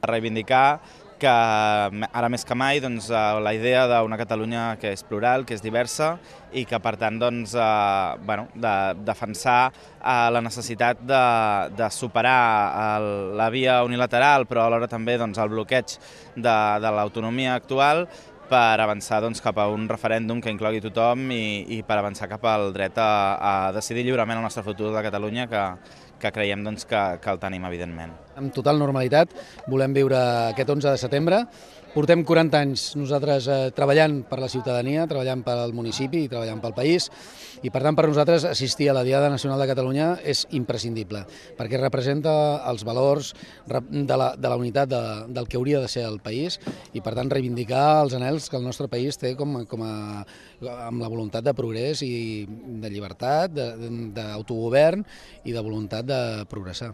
reivindicar que ara més que mai la idea d'una Catalunya que és plural, que és diversa i que per tant de defensar la necessitat de superar la via unilateral però alhora també el bloqueig de l'autonomia actual per avançar cap a un referèndum que inclogui tothom i per avançar cap al dret a decidir lliurement el nostre futur de Catalunya, que creiem que el tenim, evidentment. Amb total normalitat volem viure aquest 11 de setembre. Portem 40 anys nosaltres treballant per la ciutadania, treballant pel municipi i treballant pel país, i per tant per nosaltres assistir a la Diada Nacional de Catalunya és imprescindible, perquè representa els valors de la unitat del que hauria de ser el país i per tant reivindicar els anhels que el nostre país té amb la voluntat de progrés i de llibertat, d'autogovern i de voluntat de progressar.